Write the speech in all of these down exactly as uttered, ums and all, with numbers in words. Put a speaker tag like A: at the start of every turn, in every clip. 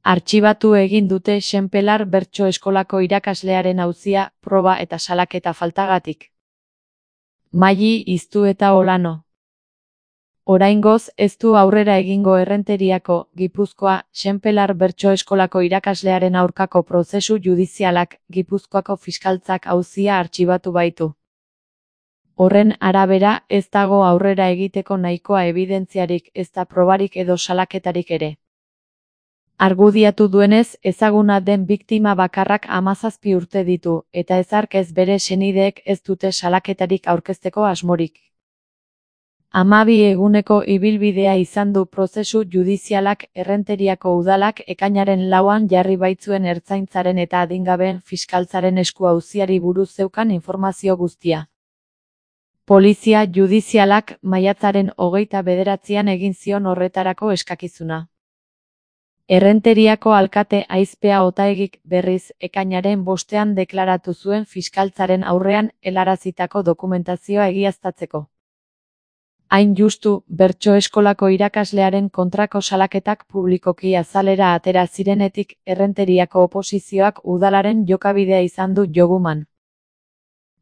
A: Artxibatu egin dute Xenpelar Bertso Eskolako irakaslearen auzia, proba eta salaketa faltagatik. Maili Iztu eta Olano. Oraingoz ez du aurrera egingo Errenteriako, Gipuzkoa, Xenpelar Bertso Eskolako irakaslearen aurkako prozesu judizialak, Gipuzkoako fiskaltzak auzia artxibatu baitu. Horren arabera, ez dago aurrera egiteko nahikoa ebidentziarik, ezta probarik edo salaketarik ere. Argudiatu duenez, ezaguna den biktima bakarrak hamazazpi urte ditu, eta ezark ez bere senideek ez dute salaketarik aurkezteko asmorik. Hamabi eguneko ibilbidea izan du prozesu judizialak. Errenteriako udalak ekainaren lauan jarri baitzuen ertzaintzaren eta adingabeen fiskaltzaren esku auziari buruz zeukan informazio guztia. Polizia judizialak maiatzaren hogeita bederatzian egin zion horretarako eskakizuna. Errenteriako alkate Aizpea Otaegik berriz ekainaren bostean deklaratu zuen fiskaltzaren aurrean helarazitako dokumentazioa egiaztatzeko. Hain justu, Bertso Eskolako irakaslearen kontrako salaketak publikoki azalera atera zirenetik, Errenteriako oposizioak udalaren jokabidea izan du joguman.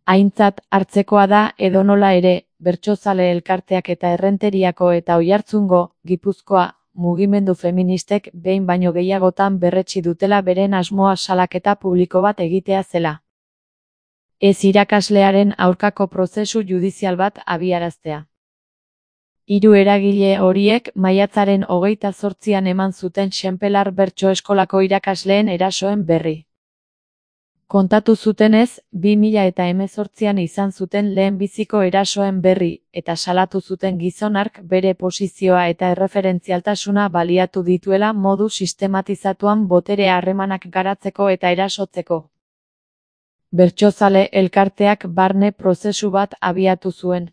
A: Aintzat hartzekoa da edonola ere, bertsozale elkarteak eta Errenteriako eta Oiartzungo, Gipuzkoa, mugimendu feministek behin baino gehiagotan berretsi dutela beren asmoa salaketa publiko bat egitea zela. Ez irakaslearen aurkako prozesu judizial bat abiaraztea. Hiru eragile horiek maiatzaren hogeita zortzian eman zuten Xenpelar Bertso Eskolako irakasleen erasoen berri. Kontatu zutenez, bi mila eta hemezortzian izan zuten lehenbiziko erasoen berri, eta salatu zuten gizon hark bere posizioa eta erreferentzialtasuna baliatu dituela modu sistematizatuan botere harremanak garatzeko eta erasotzeko. Bertsozale elkarteak barne prozesu bat abiatu zuen.